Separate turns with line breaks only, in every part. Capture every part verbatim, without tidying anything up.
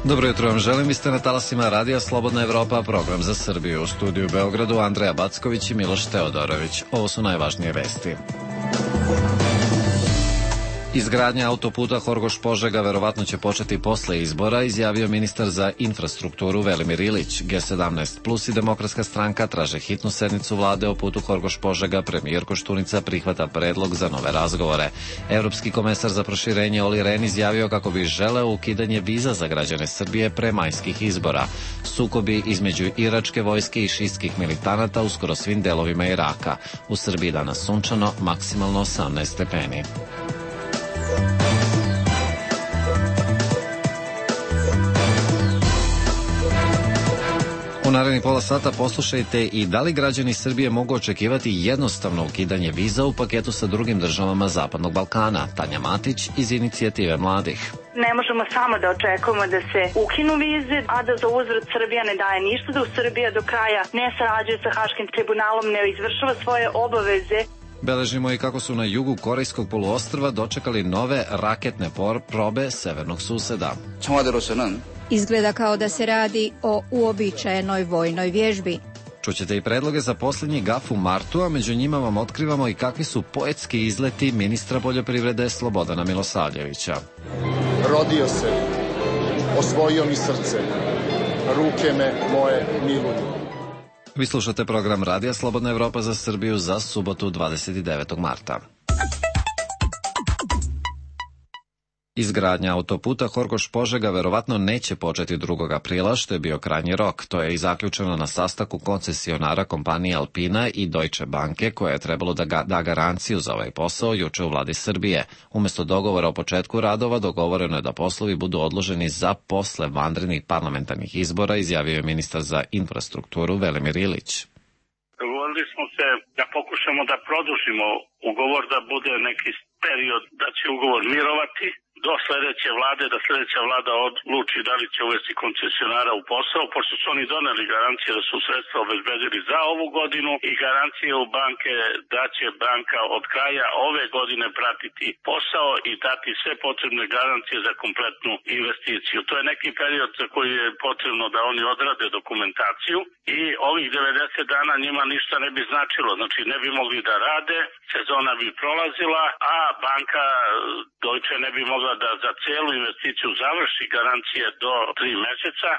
Dobro jutro vam želim, vi ste na talasima Radija Slobodna Evropa, program za Srbiju. U studiju u Beogradu Andreja Backović i Miloš Teodorović. Ovo su najvažnije vesti. Izgradnja autoputa Horgoš-Požega verovatno će početi posle izbora, izjavio ministar za infrastrukturu Velimir Ilić. G sedamnaest plus i Demokratska stranka traže hitnu sednicu vlade o putu Horgoš-Požega, premijer Koštunica prihvata predlog za nove razgovore. Evropski komesar za proširenje Oli Ren izjavio kako bi želeo ukidanje viza za građane Srbije pre majskih izbora. Sukobi između iračke vojske i šistskih militanata u skoro svim delovima Iraka. U Srbiji danas sunčano, maksimalno osamnaest stepeni. U narednih pola sata poslušajte i da li građani Srbije mogu očekivati jednostavno ukidanje viza u paketu sa drugim državama Zapadnog Balkana. Tanja Matić iz Inicijative mladih.
Ne možemo samo da očekujemo da se ukinu vize, a da za uzvrat Srbija ne daje ništa, da u Srbija do kraja ne sarađuje sa Haškim tribunalom, ne izvršava svoje obaveze.
Beležimo i kako su na jugu Korejskog poluostrva dočekali nove raketne probe severnog suseda.
Izgleda kao da se radi o uobičajenoj vojnoj vježbi.
Čućete i predloge za posljednji gaf u martu, a među njima vam otkrivamo i kakvi su poetski izleti ministra poljoprivrede Slobodana Milosavljevića.
Rodio se, osvojio mi srce, ruke me moje miluju.
Vi slušate program Radija Slobodna Evropa za Srbiju za subotu dvadeset devetog marta. Izgradnja autoputa Horgoš-Požega verovatno neće početi drugog aprila, što je bio krajnji rok. To je i zaključeno na sastanku koncesionara kompanije Alpina i Deutsche Banke, koja je trebalo da ga, da garanciju za ovaj posao juče u vladi Srbije. Umesto dogovora o početku radova, dogovoreno je da poslovi budu odloženi za posle vanrednih parlamentarnih izbora, izjavio je ministar za infrastrukturu Velimir Ilić.
Dogovorili smo se da pokušamo da produžimo ugovor, da bude neki period da će ugovor mirovati do sledeće vlade, da sledeća vlada odluči da li će uvesti koncesionara u posao, pošto su oni doneli garancije da su sredstva obezbedili za ovu godinu i garancije u banke da će banka od kraja ove godine pratiti posao i dati sve potrebne garancije za kompletnu investiciju. To je neki period za koji je potrebno da oni odrade dokumentaciju i ovih devedeset dana njima ništa ne bi značilo, znači ne bi mogli da rade, sezona bi prolazila, a banka Deutsche ne bi mogla da za celu investiciju završi garancije do tri meseca.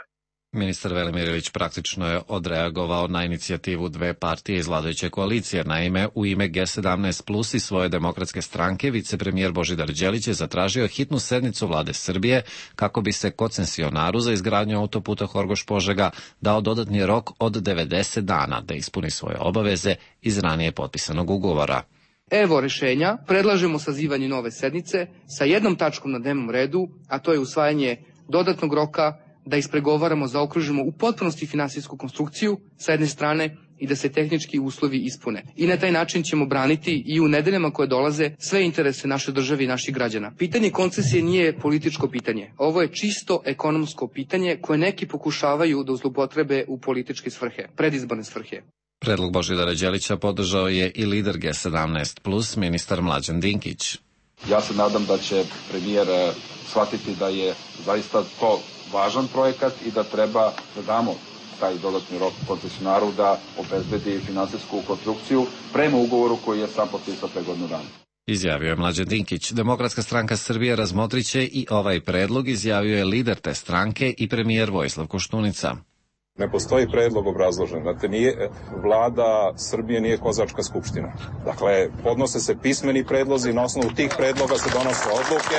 Ministar Velimir Ilić praktično je odreagovao na inicijativu dve partije iz vladajuće koalicije. Naime, u ime G sedamnaest plus i svoje demokratske stranke, vicepremijer Božidar Đelić je zatražio hitnu sednicu vlade Srbije kako bi se koncesionaru za izgradnju autoputa Horgoš-Požega dao dodatni rok od devedeset dana da ispuni svoje obaveze iz ranije potpisanog ugovora.
Evo rešenja, predlažemo sazivanje nove sednice sa jednom tačkom na dnevnom redu, a to je usvajanje dodatnog roka da ispregovaramo, zaokružimo u potpunosti finansijsku konstrukciju sa jedne strane i da se tehnički uslovi ispune. I na taj način ćemo braniti i u nedeljama koje dolaze sve interese naše države i naših građana. Pitanje koncesije nije političko pitanje. Ovo je čisto ekonomsko pitanje koje neki pokušavaju da zloupotrebe u političke svrhe, predizborne svrhe.
Predlog Božidara Đelića podržao je i lider G sedamnaest plus, ministar Mlađan Dinkić.
Ja se nadam da će premijer shvatiti da je zaista to važan projekat i da treba da damo taj dodatni rok koncesionaru da obezbedi finansijsku konstrukciju prema ugovoru koji je sam potpisao pre godinu dana.
Izjavio je Mlađan Dinkić. Demokratska stranka Srbije razmotriće i ovaj predlog, izjavio je lider te stranke i premijer Vojislav Koštunica.
Ne postoji predlog obrazložen. Znate, nije, vlada Srbije nije kozačka skupština. Dakle, podnose se pismeni predlozi, na osnovu tih predloga se donose odluke.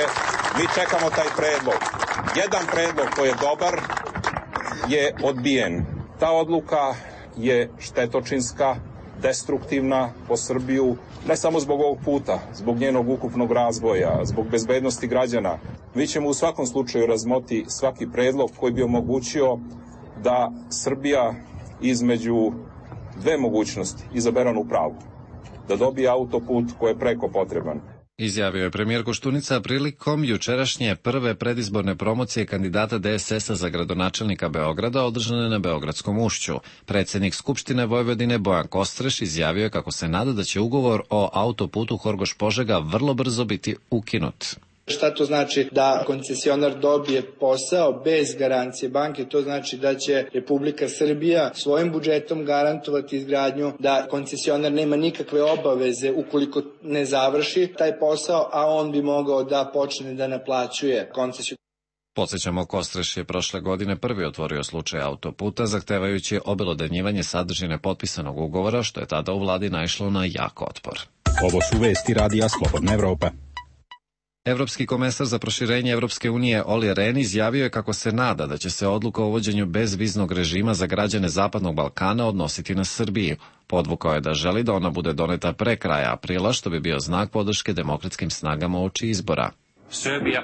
Mi čekamo taj predlog. Jedan predlog koji je dobar je odbijen. Ta odluka je štetočinska, destruktivna po Srbiju, ne samo zbog ovog puta, zbog njenog ukupnog razvoja, zbog bezbednosti građana. Mi ćemo u svakom slučaju razmoti svaki predlog koji bi omogućio da Srbija između dve mogućnosti izabere onu pravu, da dobije autoput koji je preko potreban.
Izjavio je premijer Koštunica prilikom jučerašnje prve predizborne promocije kandidata D S S-a za gradonačelnika Beograda održane na Beogradskom ušću. Predsednik Skupštine Vojvodine Bojan Kostreš izjavio je kako se nada da će ugovor o autoputu Horgoš-Požega vrlo brzo biti ukinut.
Šta to znači da koncesionar dobije posao bez garancije banke? To znači da će Republika Srbija svojim budžetom garantovati izgradnju, da koncesionar nema nikakve obaveze ukoliko ne završi taj posao, a on bi mogao da počne da naplaćuje koncesiju.
Podsećamo, Kostreš je prošle godine prvi otvorio slučaj autoputa, zahtevajući obelodanjivanje sadržine potpisanog ugovora, što je tada u vladi naišlo na jak otpor.
Ovo su vesti Radija Slobodna Evropa.
Evropski komesar za proširenje Evropske unije Olli Rehn izjavio je kako se nada da će se odluka o uvođenju bezviznog režima za građane Zapadnog Balkana odnositi na Srbiju. Podvukao je da želi da ona bude doneta pre kraja aprila, što bi bio znak podrške demokratskim snagama uoči izbora.
Srbija.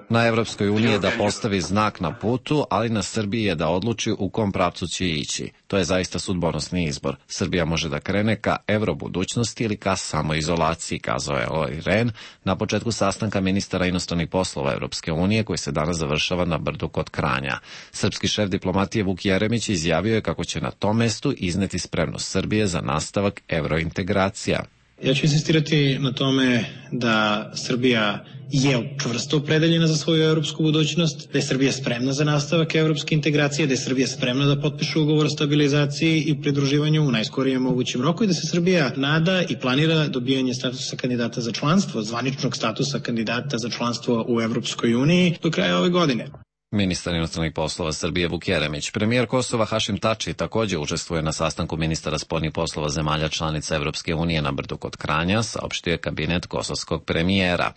Na Evropskoj uniji je da postavi znak na putu, ali na Srbiji je da odluči u kom pravcu će ići. To je zaista sudbonosni izbor. Srbija može da krene ka evrobudućnosti ili ka samoizolaciji, kazao je Olli Rehn na početku sastanka ministara inostranih poslova Evropske unije koji se danas završava na Brdu kod Kranja. Srpski šef diplomatije Vuk Jeremić izjavio je kako će na tom mestu izneti spremnost Srbije za nastavak evrointegracija.
Ja ću insistirati na tome da Srbija je čvrsto opredeljena za svoju evropsku budućnost, da je Srbija spremna za nastavak evropske integracije, da je Srbija spremna da potpiše ugovor o stabilizaciji i pridruživanju u najskorijem mogućem roku i da se Srbija nada i planira dobijanje statusa kandidata za članstvo, zvaničnog statusa kandidata za članstvo u Evropskoj uniji do kraja ove godine.
Ministar inostranih poslova Srbije Vuk Jeremić. Premijer Kosova Hašim Tači također učestvuje na sastanku ministara spoljnih poslova zemalja članica Evropske unije na Brdu kod Kranja, saopštio je kabinet kosovskog premijera.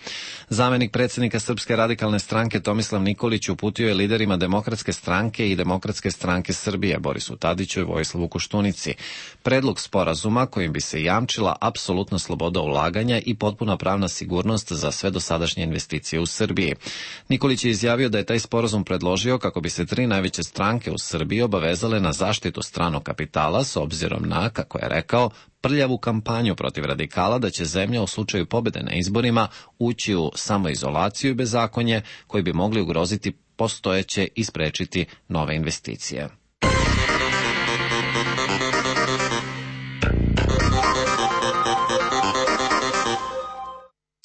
Zamenik predsjednika Srpske radikalne stranke Tomislav Nikolić uputio je liderima Demokratske stranke i Demokratske stranke Srbije Borisu Tadiću i Vojislavu Koštunici predlog sporazuma kojim bi se jamčila apsolutna sloboda ulaganja i potpuna pravna sigurnost za sve dosadašnje investicije u Srbiji. Nikolić je izjavio da je taj sporazum predložio kako bi se tri najveće stranke u Srbiji obavezale na zaštitu stranog kapitala s obzirom na, kako je rekao, prljavu kampanju protiv radikala da će zemlja u slučaju pobjede na izborima ući u samoizolaciju i bezakonje koji bi mogli ugroziti postojeće i sprečiti nove investicije.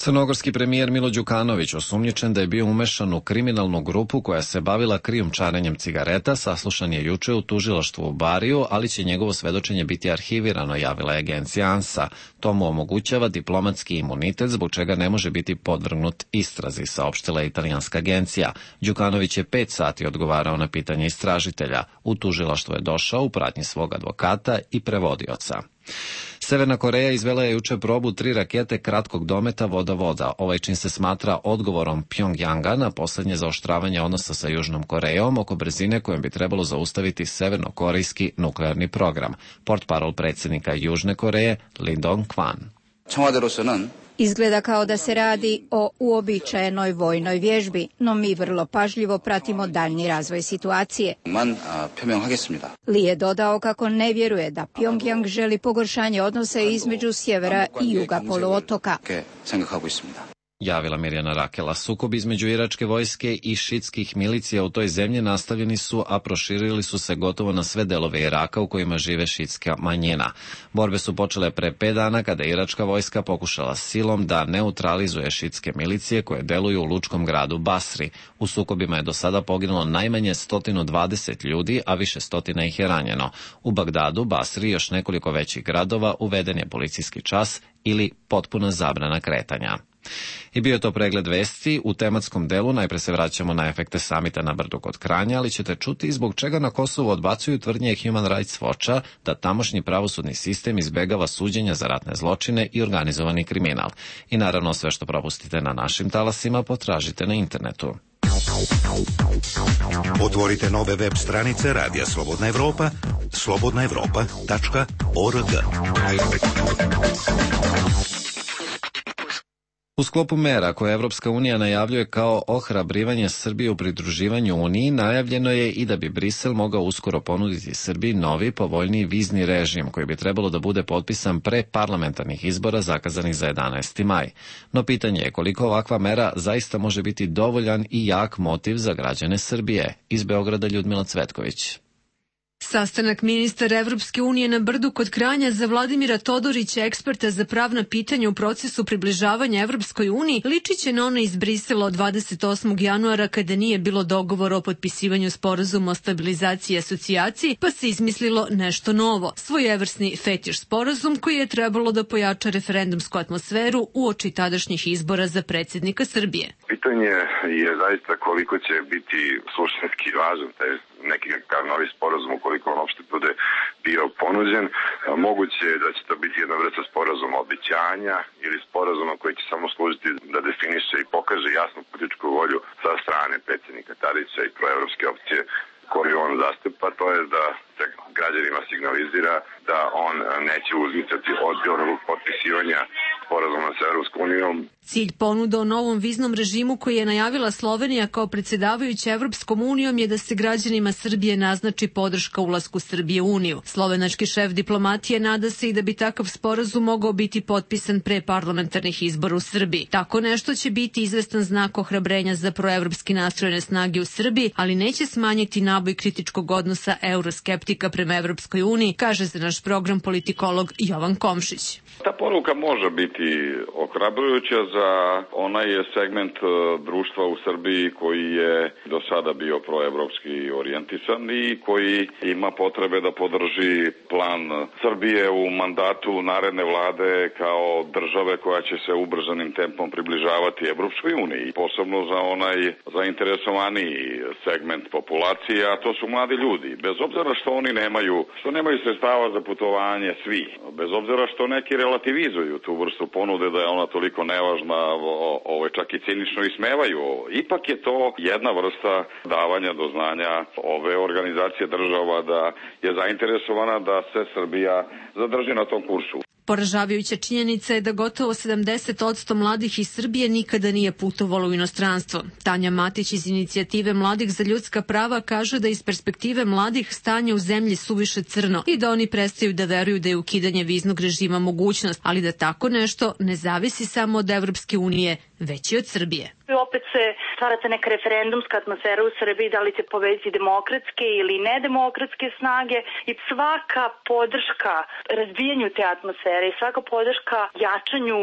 Crnogorski premijer Milo Đukanović, osumnjičen da je bio umešan u kriminalnu grupu koja se bavila krijumčarenjem cigareta, saslušan je juče u tužilaštvu u Bariju, ali će njegovo svedočenje biti arhivirano, javila je agencija ANSA. To mu omogućava diplomatski imunitet, zbog čega ne može biti podvrgnut istrazi, saopštila je italijanska agencija. Đukanović je pet sati odgovarao na pitanje istražitelja. U tužilaštvo je došao u pratnji svog advokata i prevodioca. Severna Koreja izvela je juče probu tri rakete kratkog dometa voda-voda. Ovaj čin se smatra odgovorom Pjongjanga na poslednje zaoštravanje odnosa sa Južnom Korejom oko brzine kojom bi trebalo zaustaviti severnokorejski nuklearni program. Portparol predsjednika Južne Koreje Lee Dong-kwan.
Izgleda kao da se radi o uobičajenoj vojnoj vježbi, no mi vrlo pažljivo pratimo daljnji razvoj situacije. Li je dodao kako ne vjeruje da Pjongjang želi pogoršanje odnosa između sjevera i juga poluotoka.
Javila Mirjana Rakela. Sukob između iračke vojske i šitskih milicija u toj zemlji nastavljeni su, a proširili su se gotovo na sve delove Iraka u kojima žive šitska manjina. Borbe su počele pre pet dana kada je iračka vojska pokušala silom da neutralizuje šitske milicije koje deluju u lučkom gradu Basri. U sukobima je do sada poginulo najmanje sto dvadeset ljudi, a više stotina ih je ranjeno. U Bagdadu, Basri i još nekoliko većih gradova uveden je policijski čas ili potpuna zabrana kretanja. I bio je to pregled vesti. U tematskom delu najpre se vraćamo na efekte samita na Brdu kod Kranja, ali ćete čuti zbog čega na Kosovu odbacuju tvrdnje Human Rights Watcha da tamošnji pravosudni sistem izbegava suđenja za ratne zločine i organizovani kriminal. I naravno sve što propustite na našim talasima potražite na internetu.
Otvorite nove web stranice Radija Slobodna Evropa, slobodna evropa tačka org.
U sklopu mera koje Evropska unija najavljuje kao ohrabrivanje Srbije u pridruživanju Uniji, najavljeno je i da bi Brisel mogao uskoro ponuditi Srbiji novi, povoljniji vizni režim koji bi trebalo da bude potpisan pre parlamentarnih izbora zakazanih za jedanaesti maj. No pitanje je koliko ovakva mera zaista može biti dovoljan i jak motiv za građane Srbije. Iz Beograda Ljudmila Cvetković.
Sastanak ministara Evropske unije na Brdu kod Kranja za Vladimira Todorića, eksperta za pravna pitanja u procesu približavanja Evropskoj uniji, liči će na ono iz Brisela od dvadeset osmog januara kada nije bilo dogovora o potpisivanju sporazuma o stabilizaciji i asocijaciji, pa se izmislilo nešto novo. Svojevrsni fetiš sporazum koji je trebalo da pojača referendumsku atmosferu uoči tadašnjih izbora za predsjednika Srbije.
Pitanje je zaista koliko će biti suštinski važan taj neki kakav novi sporazum, ukoliko on uopšte bude bio ponuđen. Moguće je da će to biti jedna vrsta sporazuma obećanja ili sporazuma koji će samo služiti da definiše i pokaže jasnu političku volju sa strane predsjednika Tadića i proevropske opcije koju on zastupa, to je da se građanima signalizira da on neće uzmicati od onog potpisivanja sporazuma sa Evropskom unijom.
Cilj ponuda o novom viznom režimu koji je najavila Slovenija kao predsjedavajuća Evropskom unijom je da se građanima Srbije naznači podrška ulasku Srbije u Uniju. Slovenački šef diplomatije nada se i da bi takav sporazum mogao biti potpisan pre parlamentarnih izbora u Srbiji. Tako nešto će biti izvestan znak ohrabrenja za proevropski nastrojene snage u Srbiji, ali neće smanjiti naboj kritičkog odnosa euroskeptika prema Evropskoj uniji, kaže za naš program politikolog Jovan Komšić.
Ta poruka može biti ohrabrujuća za onaj segment društva u Srbiji koji je do sada bio proevropski orijentisan i koji ima potrebe da podrži plan Srbije u mandatu naredne vlade kao države koja će se ubrzanim tempom približavati Evropskoj uniji. Posebno za onaj zainteresovaniji segment populacije, a to su mladi ljudi. Bez obzira što oni nemaju, što nemaju sredstava za putovanje svi, bez obzira što neki relativizuju tu vrstu ponude da je ona toliko nevažna, ovo čak i cinično ismevaju. Ipak je to jedna vrsta davanja do znanja ove organizacije država da je zainteresovana da se Srbija zadrži na tom kursu.
Poražavajuća činjenica je da gotovo sedamdeset posto mladih iz Srbije nikada nije putovalo u inostranstvo. Tanja Matić iz inicijative Mladih za ljudska prava kaže da iz perspektive mladih stanje u zemlji suviše crno i da oni prestaju da veruju da je ukidanje viznog režima mogućnost, ali da tako nešto ne zavisi samo od Evropske unije, već i od Srbije.
Opet se stvarate neka referendumska atmosfera u Srbiji, da li će povesti demokratske ili nedemokratske snage i svaka podrška razbijanju te atmosfere i svaka podrška jačanju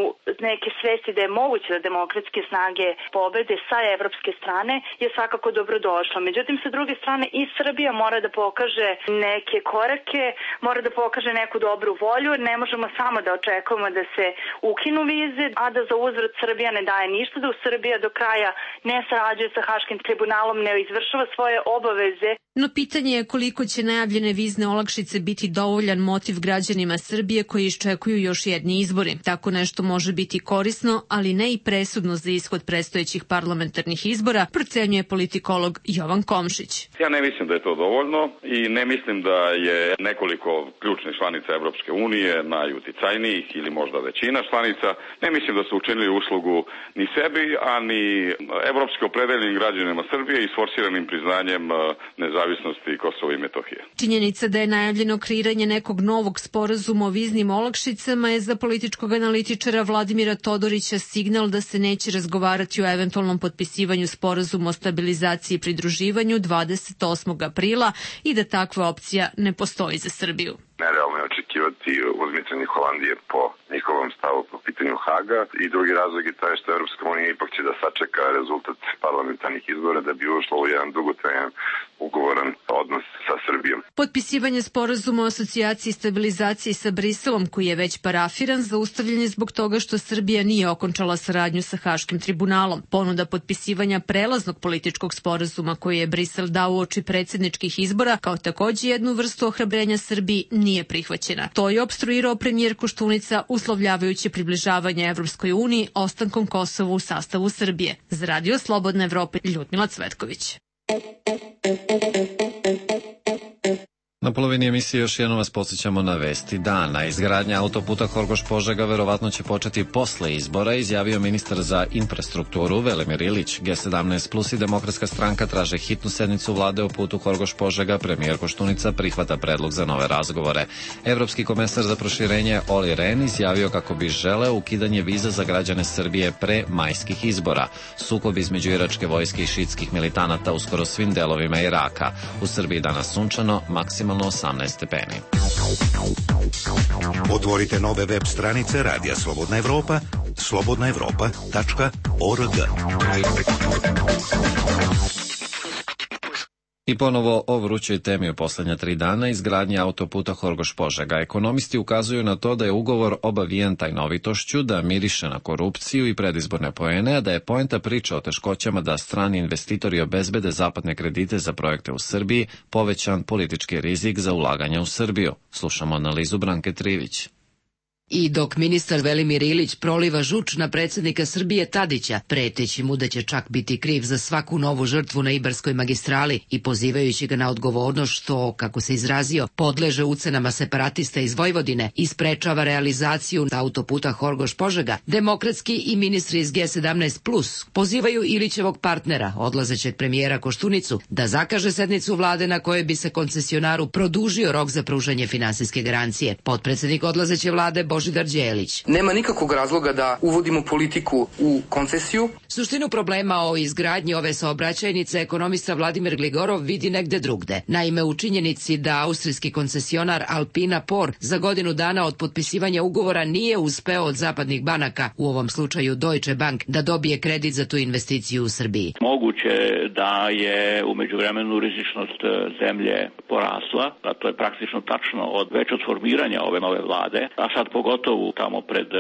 neke svesti da je moguće da demokratske snage pobede sa evropske strane je svakako dobrodošla. Međutim, sa druge strane i Srbija mora da pokaže neke korake, mora da pokaže neku dobru volju. Ne možemo samo da očekujemo da se ukinu vize, a da za uzvrat Srbija ne daje ništa, da u Srbija do kraja ne sarađuje sa Haškim tribunalom, ne izvršava svoje obaveze.
No pitanje je koliko će najavljene vizne olakšice biti dovoljan motiv građanima Srbije koji iščekuju još jedni izbori. Tako nešto može biti korisno, ali ne i presudno za ishod predstojećih parlamentarnih izbora, procenjuje politikolog Jovan Komšić.
Ja ne mislim da je to dovoljno i ne mislim da je nekoliko ključnih članica Evropske unije, najuticajnijih ili možda većina članica, ne mislim da su učinili uslugu ni sebi, a ni evropski opredeljenim građanima Srbije i sforsiranim priznanjem nezavisnosti Kosova i Metohije.
Činjenica da je najavljeno kreiranje nekog novog sporazuma o viznim olakšicama je za političkog analitičara Vladimira Todorića signal da se neće razgovarati o eventualnom potpisivanju sporazuma o stabilizaciji i pridruživanju dvadeset osmog aprila i da takva opcija ne postoji za Srbiju.
Nerealno je očekivati uzmicanje Holandije po njihovom stavu po pitanju Haga i drugi razlog je taj što Evropska unija ipak će da sačeka rezultat parlamentarnih izbora da bi ušlo u jedan dugotrajan ugovoran odnos sa Srbijom.
Potpisivanje sporazuma o asocijaciji i stabilizaciji sa Briselom, koji je već parafiran, zaustavljen je zbog toga što Srbija nije okončala saradnju sa Haškim tribunalom. Ponuda potpisivanja prelaznog političkog sporazuma koji je Brisel dao uoči predsjedničkih izbora, kao takođe jednu vrstu ohrabrenja Srbiji, nije prihvaćena. To je opstruirao premijer Koštunica, uslovljavajući približavanje Evropskoj uniji ostankom Kosova u sastavu Srbije. Za Radio Slobodna Evropa, Ljudmila Cvetković.
Na polovini emisije još jednom vas podsjećamo na vesti dana. Izgradnja autoputa Horgoš-Požega verovatno će početi posle izbora, izjavio ministar za infrastrukturu Velimir Ilić. G sedamnaest plus i Demokratska stranka traže hitnu sednicu vlade o putu Horgoš-Požega. Premijer Koštunica prihvata predlog za nove razgovore. Evropski komesar za proširenje Olli Rehn izjavio kako bi želeo ukidanje viza za građane Srbije pre majskih izbora. Sukob između iračke vojske i šiitskih militanata u skoro svim delovima Iraka. U Srbiji danas sunčano, maksimalno maksimalno osamnaest stepeni.
Otvorite nove web stranice Radija Slobodna Evropa, slobodna evropa tačka org.
I ponovo o vrućoj temi u poslednja tri dana, izgradnje autoputa Horgoš-Požega. Ekonomisti ukazuju na to da je ugovor obavijen tajnovitošću, da miriše na korupciju i predizborne poene, a da je poenta priča o teškoćama da strani investitori obezbede zapadne kredite za projekte u Srbiji povećan politički rizik za ulaganja u Srbiju. Slušamo analizu Branke Trivić.
I dok ministar Velimir Ilić proliva žuč na predsjednika Srbije Tadića, preteći mu da će čak biti kriv za svaku novu žrtvu na Ibarskoj magistrali i pozivajući ga na odgovornost što, kako se izrazio, podleže ucenama separatista iz Vojvodine i sprečava realizaciju autoputa Horgoš-Požega, demokratski i ministri iz G sedamnaest plus pozivaju Ilićevog partnera, odlazećeg premijera Koštunicu, da zakaže sednicu vlade na kojoj bi se koncesionaru produžio rok za pružanje finansijske garancije. Potpredsednik odlazeće vlade Božidar Đelić.
Nema nikakvog razloga da uvodimo politiku u koncesiju.
Suštinu problema o izgradnji ove saobraćajnice ekonomista Vladimir Gligorov vidi negde drugde. Naime, u činjenici da austrijski koncesionar Alpina Por za godinu dana od potpisivanja ugovora nije uspeo od zapadnih banaka, u ovom slučaju Deutsche Bank, da dobije kredit za tu investiciju u Srbiji.
Moguće da je u međuvremenu rizičnost zemlje porasla, a to je praktično tačno od već od formiranja ove nove vlade, a sad pogotovo tamo pred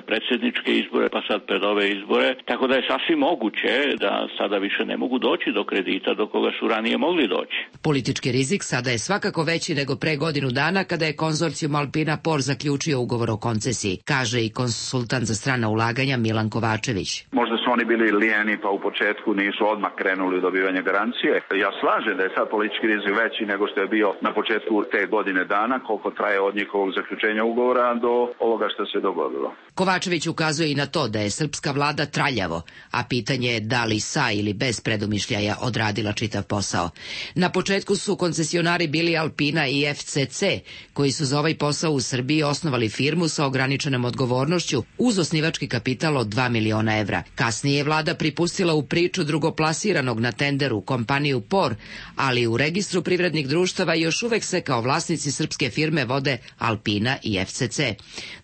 predsjedničke izbore, pa sad pred ove izbore, tako da je sasvim moguće da sada više ne mogu doći do kredita do koga su ranije mogli doći.
Politički rizik sada je svakako veći nego pre godinu dana kada je konzorcijum Alpina Por zaključio ugovor o koncesiji, kaže i konsultant za strana ulaganja Milan Kovačević.
Možda su oni bili lijeni pa u početku nisu odmah krenuli u dobivanje garancije. Ja slažem da je sad politički rizik veći nego što je bio na početku te godine dana, koliko traje od njihovog zaključenja ugovora do ovoga što se dogodilo.
Kovačević ukazuje i na to da je srpska vlada traljavo, a pitanje je da li sa ili bez predumišljaja odradila čitav posao. Na početku su koncesionari bili Alpina i F C C, koji su za ovaj posao u Srbiji osnovali firmu sa ograničenom odgovornošću uz osnivački kapital od dva miliona evra. Kasnije je vlada pripustila u priču drugoplasiranog na tenderu kompaniju Por, ali u registru privrednih društava još uvek se kao vlasnici srpske firme vode Alpina i F C C.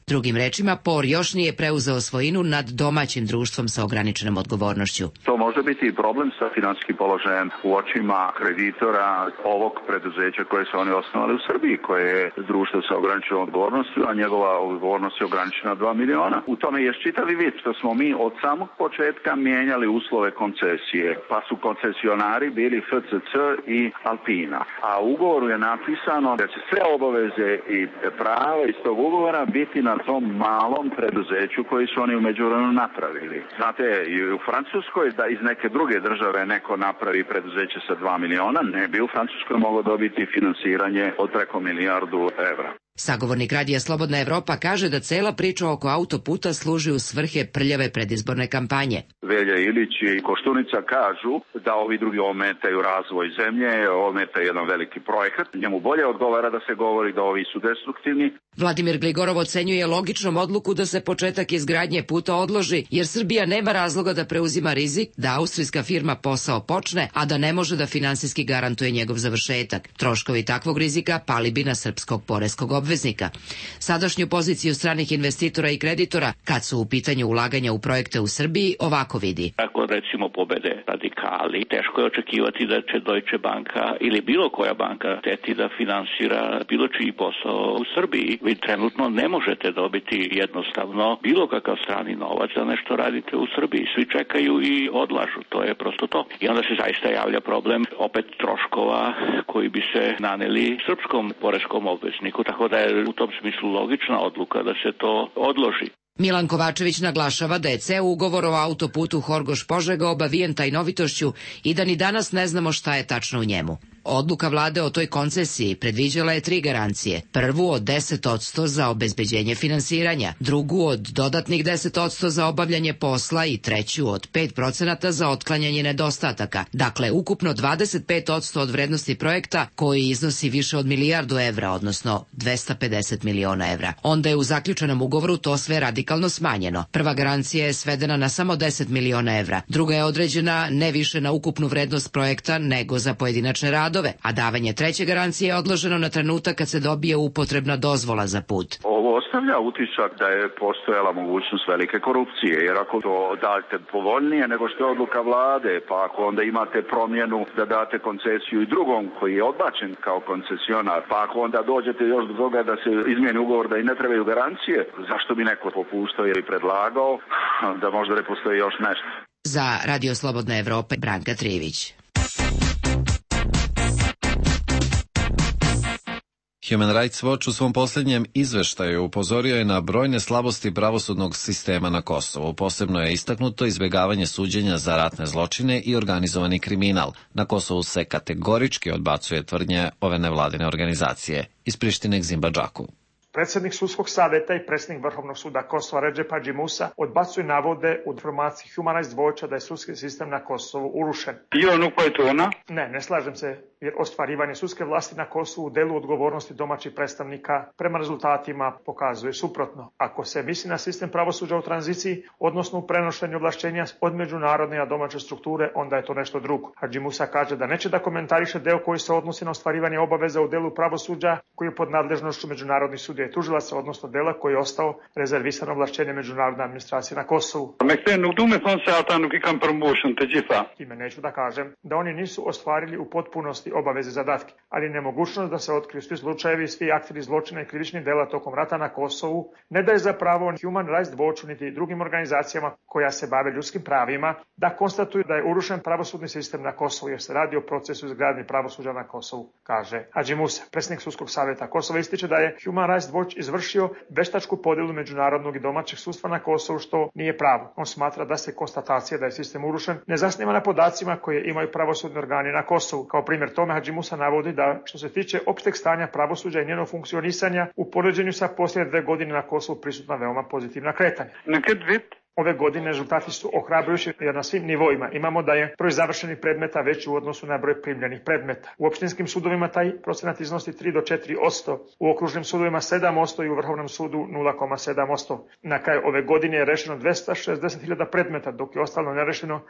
Drugim rečima, Por još nije preuzeo svojinu nad domaćim društvom sa ograničenom odgovornošću.
To može biti i problem sa finansijskim položajem u očima kreditora ovog preduzeća koje su oni osnovali u Srbiji, koje je društvo sa ograničenom odgovornošću, a njegova odgovornost je ograničena dva miliona. U tome je čitavi vid što smo mi od samog početka mijenjali uslove koncesije, pa su koncesionari bili F C C i Alpina. A u ugovoru je napisano da će sve obaveze i prava iz tog ugovora biti na tom malom preduzeću koji su oni u međuvremenu napravili. Znate, i u Francuskoj da iz neke druge države neko napravi preduzeće sa dva miliona, ne bi u Francuskoj moglo dobiti finansiranje od preko milijardu evra.
Sagovornik Radija Slobodna Evropa kaže da cela priča oko autoputa služi u svrhe prljave predizborne kampanje.
Velja Ilić i Koštunica kažu da ovi drugi ometaju razvoj zemlje, ometaju jedan veliki projekat. Njemu bolje odgovara da se govori da ovi su destruktivni.
Vladimir Gligorov ocenjuje logičnom odluku da se početak izgradnje puta odloži, jer Srbija nema razloga da preuzima rizik da austrijska firma posao počne, a da ne može da finansijski garantuje njegov završetak. Troškovi takvog rizika pali bi na srpskog poreskog obveznika. Sadašnju poziciju stranih investitora i kreditora, kad su u pitanju ulaganja u projekte u Srbiji, ovako vidi.
Ako recimo pobede radikali, teško je očekivati da će Deutsche Banka ili bilo koja banka teti da finansira bilo čiji posao u Srbiji. Vi trenutno ne možete dobiti jednostavno bilo kakav strani novac za nešto radite u Srbiji. Svi čekaju i odlažu, to je prosto to. I onda se zaista javlja problem opet troškova koji bi se naneli srpskom poreskom obvezniku, tako da je u tom smislu logična odluka da se to odloži.
Milan Kovačević naglašava da je ceo ugovor o autoputu Horgoš-Požega obavijen tajnovitošću i da ni danas ne znamo šta je tačno u njemu. Odluka vlade o toj koncesiji predviđala je tri garancije. Prvu od deset odsto za obezbeđenje finansiranja, drugu od dodatnih deset odsto za obavljanje posla i treću od pet procenata za otklanjanje nedostataka. Dakle, ukupno dvadeset pet odsto od vrednosti projekta koji iznosi više od milijardu evra, odnosno dvesta pedeset miliona evra. Onda je u zaključenom ugovoru to sve radikalno smanjeno. Prva garancija je svedena na samo deset miliona evra, druga je određena ne više na ukupnu vrednost projekta nego za pojedinačne radove, radove, a davanje treće garancije je odloženo na trenutak kad se dobije upotrebna dozvola za put.
Ovo ostavlja utisak da je postojala mogućnost velike korupcije, jer ako to date povoljnije nego što je odluka vlade, pa ako onda imate promjenu da date koncesiju i drugom koji je odbačen kao koncesionar, pa ako onda dođete još do toga da se izmijeni ugovor da i ne trebaju garancije, zašto bi neko popuštao ili predlagao da možda ne postoji još nešto?
Za Radio Slobodna Evropa, Branka Trivić.
Human Rights Watch u svom posljednjem izveštaju upozorio je na brojne slabosti pravosudnog sistema na Kosovu. Posebno je istaknuto izbjegavanje suđenja za ratne zločine i organizovani kriminal. Na Kosovu se kategorički odbacuje tvrdnje ove nevladine organizacije. Iz Prištine Gzimba Džaku.
Predsjednik sudskog savjeta i predsjednik Vrhovnog suda Kosova Redžep Hadži Musa odbacuju navode u informaciji Human Rights Watcha da je sudski sistem na Kosovu urušen. Ne, ne slažem se, jer ostvarivanje sudske vlasti na Kosovu u delu odgovornosti domaćih predstavnika prema rezultatima pokazuje suprotno. Ako se misli na sistem pravosuđa u tranziciji, odnosno u prenošenju ovlašćenja od međunarodne a domaće strukture, onda je to nešto drugo. Hadži Musa kaže da neće da komentariše deo koji se odnosi na ostvarivanje obaveza u delu pravosuđa koji je pod nadležnošću međunarodnih sudija i tužilaca, odnosno dela koji je ostao rezervisan ovlašćenje međunarodne administracije na Kosovu. Time neću da kažem da oni nisu ostvarili u potpunosti obaveze zadatke, ali nemogućnost da se otkriju svi slučajevi, svi akteri zločina i krivičnih dela tokom rata na Kosovu ne daje za pravo Human Rights Watchu niti drugim organizacijama koja se bave ljudskim pravima da konstatuju da je urušen pravosudni sistem na Kosovu jer se radi o procesu izgradnje pravosuđa na Kosovu, kaže Hadži Musa. Predsjednik sudskog savjeta Kosova ističe da je Human Rights Watch izvršio veštačku podjelu međunarodnog i domaćeg sudstva na Kosovu, što nije pravo. On smatra da se konstatacija da je sistem urušen ne zasniva na podacima koje imaju pravosudni organi na Kosovu. Kao primjer tome Hadži Musa navodi da što se tiče opšteg stanja pravosuđa i njenog funkcionisanja u poređenju sa posljednje dve godine na Kosovu prisutna veoma pozitivna kretanja. Ove godine rezultati su ohrabrujući jer na svim nivoima imamo da je broj završenih predmeta veći u odnosu na broj primljenih predmeta. U opštinskim sudovima taj procenat iznosi tri do četiri posto, u okružnim sudovima sedam posto i u Vrhovnom sudu nula zarez sedam posto. Na kraju ove godine je rešeno dvesta šezdeset hiljada predmeta, dok je ostalo nerešeno.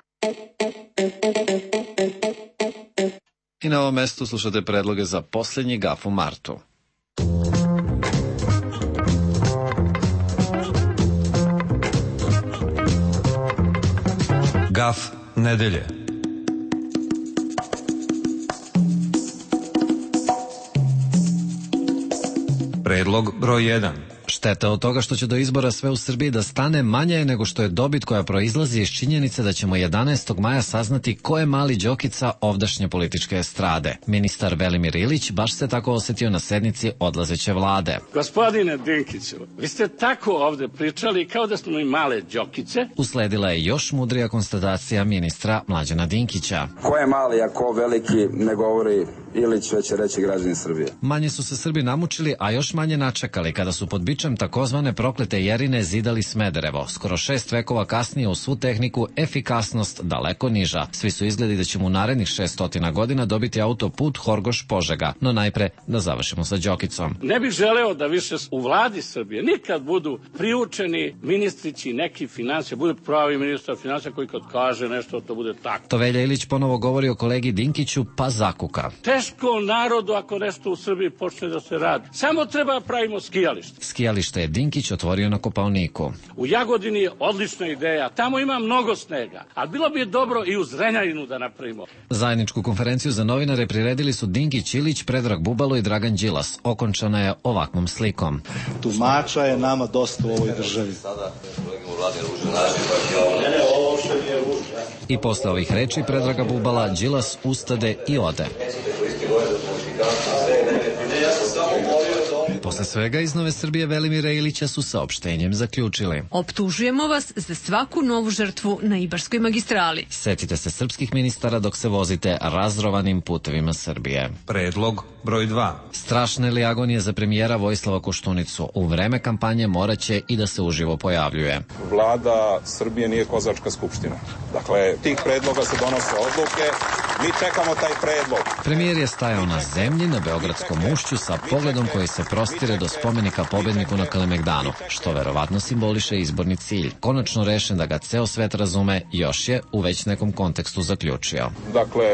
I na ovom mestu slušate predloge za posljednji gaf u martu.
Gaf nedelje. Predlog broj jedan.
Šteta od toga što će do izbora sve u Srbiji da stane manje je nego što je dobit koja proizlazi iz činjenice da ćemo jedanaestog maja saznati ko je mali Đokica ovdašnje političke estrade. Ministar Velimir Ilić baš se tako osjetio na sednici odlazeće vlade.
Gospodine Dinkiću, vi ste tako ovde pričali kao da smo i male Đokice.
Usledila je još mudrija konstatacija ministra Mlađana Dinkića.
Ko je mali, a ko veliki, ne govori Ilić, već će reći građani Srbije.
Manje su se Srbi namučili, a još manje načekali kada su pod bičem takozvane proklete Jerine zidali Smederevo. Skoro šest vekova kasnije u svu tehniku efikasnost daleko niža. Svi su izgledi da ćemo u narednih šeststotina godina dobiti autoput Horgoš-Požega. No najpre da završimo sa Đokicom.
Ne bih želeo da više u vladi Srbije nikad budu priučeni ministrići neki financije, bude pravi ministar financija koji kad kaže nešto to bude tako.
To Velja Ilić ponovo govori o kolegi Dinkiću pa zakuka.
Teško narodu ako nešto u Srbiji počne da se radi. Samo treba pravimo skijalište.
Skijalište je Dinkić otvorio na Kopaoniku.
U Jagodini je odlična ideja, tamo ima mnogo snega, ali bilo bi dobro i u Zrenjaninu da napravimo.
Zajedničku konferenciju za novinare priredili su Dinkić, Ilić, Predrag Bubalo i Dragan Đilas. Okončana je ovakvom slikom.
Tumača je nama dosta u ovoj državi.
I posle ovih reči Predraga Bubala, Đilas ustade i ode. Posle svega iz Nove Srbije Velimira Ilića su saopštenjem zaključili.
Optužujemo vas za svaku novu žrtvu na Ibarskoj magistrali.
Setite se srpskih ministara dok se vozite razrovanim putevima Srbije.
Predlog broj dva.
Strašne li agonije za premijera Vojislava Koštunicu? U vreme kampanje moraće i da se uživo pojavljuje.
Vlada Srbije nije kozačka skupština. Dakle, tih predloga se donose odluke Mi čekamo taj predlog.
Premijer je stajao na zemlji na Beogradskom ušću sa pogledom koji se prostire do spomenika pobedniku na Kalemegdanu, što verovatno simboliše izborni cilj. Konačno rešen da ga ceo svet razume, još je u već nekom kontekstu zaključio.
Dakle,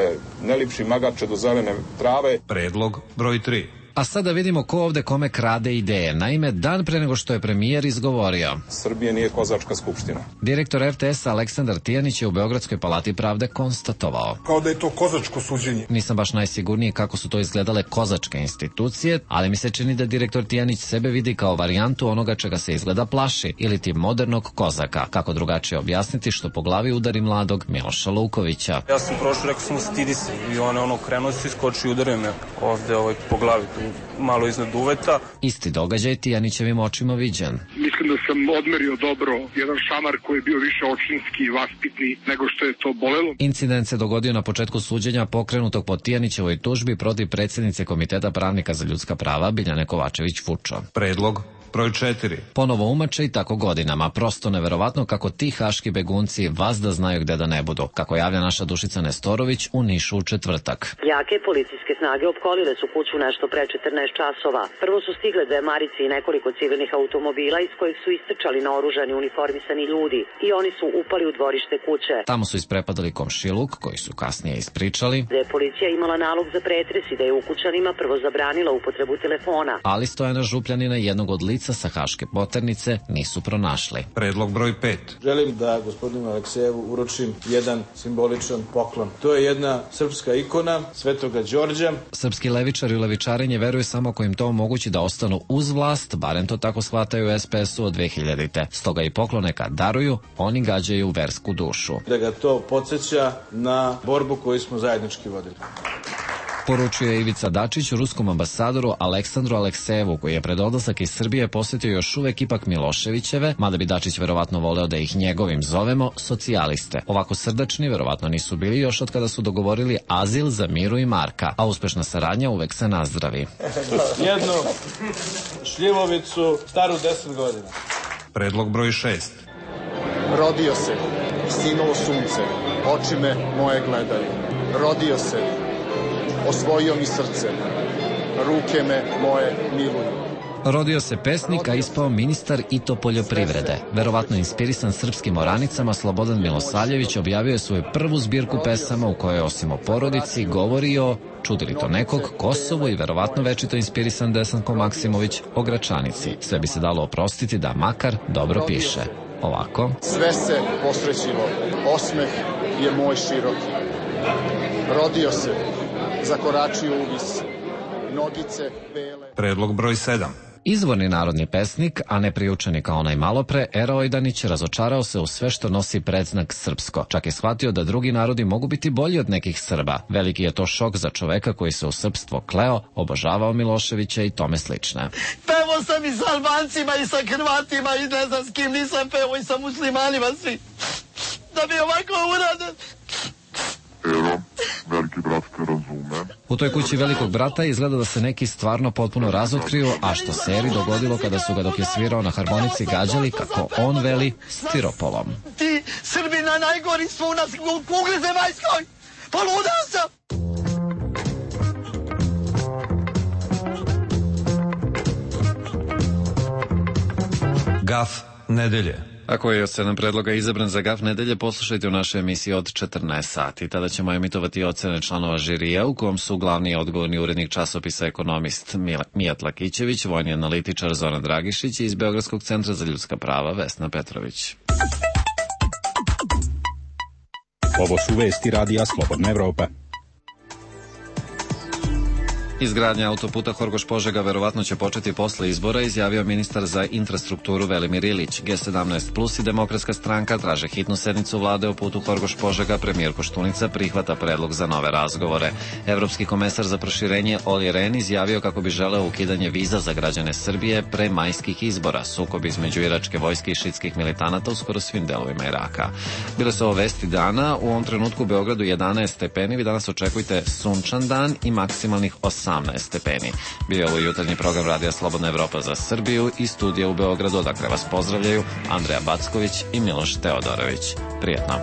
ne lipši magarče do zelene trave.
Predlog broj tri.
A sada vidimo ko ovde kome krade ideje. Naime, dan pre nego što je premijer izgovorio:
Srbija nije kozačka skupština.
Direktor er te es Aleksandar Tijanić je u Beogradskoj palati pravde konstatovao:
kao da je to kozačko suđenje.
Nisam baš najsigurniji kako su to izgledale kozačke institucije, ali mi se čini da direktor Tijanić sebe vidi kao varijantu onoga čega se izgleda plaši, ili ti modernog kozaka. Kako drugačije objasniti što po glavi udari mladog Miloša Lukovića.
Ja sam prošao, rekao sam stidi se i on ono krenuo se iskoči i udario me ovde ovaj, po glavi. Malo iznad uveta.
Isti događaj Tijanićevim očima viđen.
Mislim da sam odmerio dobro jedan šamar koji je bio više očinski i vaspitni nego što je to bolelo.
Incident se dogodio na početku suđenja pokrenutog po Tijanićevoj tužbi protiv predsjednice Komiteta pravnika za ljudska prava Biljane Kovačević-Vučo.
Predlog broj četiri.
Ponovo umače i tako godinama. Prosto neverovatno kako ti haški begunci vazda znaju gde da ne budu. Kako javlja naša Dušica Nestorović u Nišu u četvrtak.
Jake policijske snage opkolile su kuću nešto pre četrnaest časova. Prvo su stigle dve marice i nekoliko civilnih automobila iz kojih su istrčali naoružani uniformisani ljudi i oni su upali u dvorište kuće.
Tamo su isprepadali komšiluk koji su kasnije ispričali
da je policija imala nalog za pretres i da je ukućanima prvo zabranila upotrebu telefona.
Ali Stojana Župljanina, jednog od lica sa haške poternice, nisu pronašli.
Predlog broj pet.
Želim da gospodinu Aleksejevu uručim jedan simboličan poklon. To je jedna srpska ikona Svetoga Đorđa.
Srpski levičari u levičarenje veruju samo ako im to omogući da ostanu uz vlast, barem to tako shvataju u es pe esu od dve hiljadite. Stoga i poklone kad daruju, oni gađaju versku dušu.
Da ga to podsjeća na borbu koju smo zajednički vodili.
Poručuje Ivica Dačić ruskom ambasadoru Aleksandru Aleksejevu, koji je pred odlazak iz Srbije posjetio još uvek ipak Miloševićeve, mada bi Dačić verovatno voleo da ih njegovim zovemo, socijaliste. Ovako srdačni verovatno nisu bili još od kada su dogovorili azil za Miru i Marka, a uspešna saradnja uvek se nazdravi.
Jednu šljivovicu staru deset godina.
Predlog broj šest.
Rodio se, sinulo sunce, oči me moje gledaju. Rodio se, osvojio mi srce, ruke me moje miluju.
Rodio se pesnik, a ispao ministar i to poljoprivrede. Verovatno inspirisan srpskim oranicama, Slobodan Milosavljević objavio je svoju prvu zbirku pesama u kojoj osim o porodici govori o, čudi li to nekog, Kosovu i verovatno večito inspirisan Desanko Maksimović o Gračanici. Sve bi se dalo oprostiti da makar dobro piše. Ovako.
Sve se posrećilo, osmeh je moj široki. Rodio se, zakoračio u vis, nogice bele.
Predlog broj sedam.
Izvorni narodni pesnik, a ne priučeni kao onaj malopre, Era Ojdanić razočarao se u sve što nosi predznak srpsko. Čak je shvatio da drugi narodi mogu biti bolji od nekih Srba. Veliki je to šok za čoveka koji se u srpstvo kleo, obožavao Miloševića i tome slične.
Pevo sam i sa Albancima i sa Hrvatima i ne znam s kim nisam pevo i sa muslimanima svi. Da bi ovako uradan.
Ero, veliki brat te razume.
U toj kući velikog brata izgleda da se neki stvarno potpuno razotkriju, a što se Eri dogodilo kada su ga dok je svirao na harmonici gađali, kako on veli, stiropolom.
Ti Srbina najgori su u nas u kugli zemaljskoj. Poludao sam!
Gaf nedelje.
Ako je od sedam predloga izabran za Gaf nedelje, poslušajte u našoj emisiji od četrnaest sati. Tada ćemo emitovati ocene članova žirija, u kom su glavni i odgovorni urednik časopisa Ekonomist Mijat Lakićević, vojni analitičar Zoran Dragišić i iz Beogradskog centra za ljudska prava Vesna Petrović.
Ovo su vesti radija Slobodna Evropa.
Izgradnja autoputa Horgoš-Požega verovatno će početi posle izbora, izjavio ministar za infrastrukturu Velimir Ilić. Ge sedamnaest plus i Demokratska stranka traže hitnu sednicu vlade o putu Horgoš-Požega. Premijer Koštunica prihvata predlog za nove razgovore. Evropski komesar za proširenje Olli Rehn izjavio kako bi želeo ukidanje viza za građane Srbije pre majskih izbora. Sukob između iračke vojske i šitskih militanata u skoro svim delovima Iraka. Bile su ovo vesti dana. U ovom trenutku u Beogradu jedanaest stepeni. Vi danas očekujte sunčan dan i maksimalnih osamnaest stepeni. Bio je ovo jutarnji program Radija Slobodna Evropa za Srbiju i studija u Beogradu, odakle vas pozdravljaju Andreja Backović i Miloš Teodorović. Prijetno.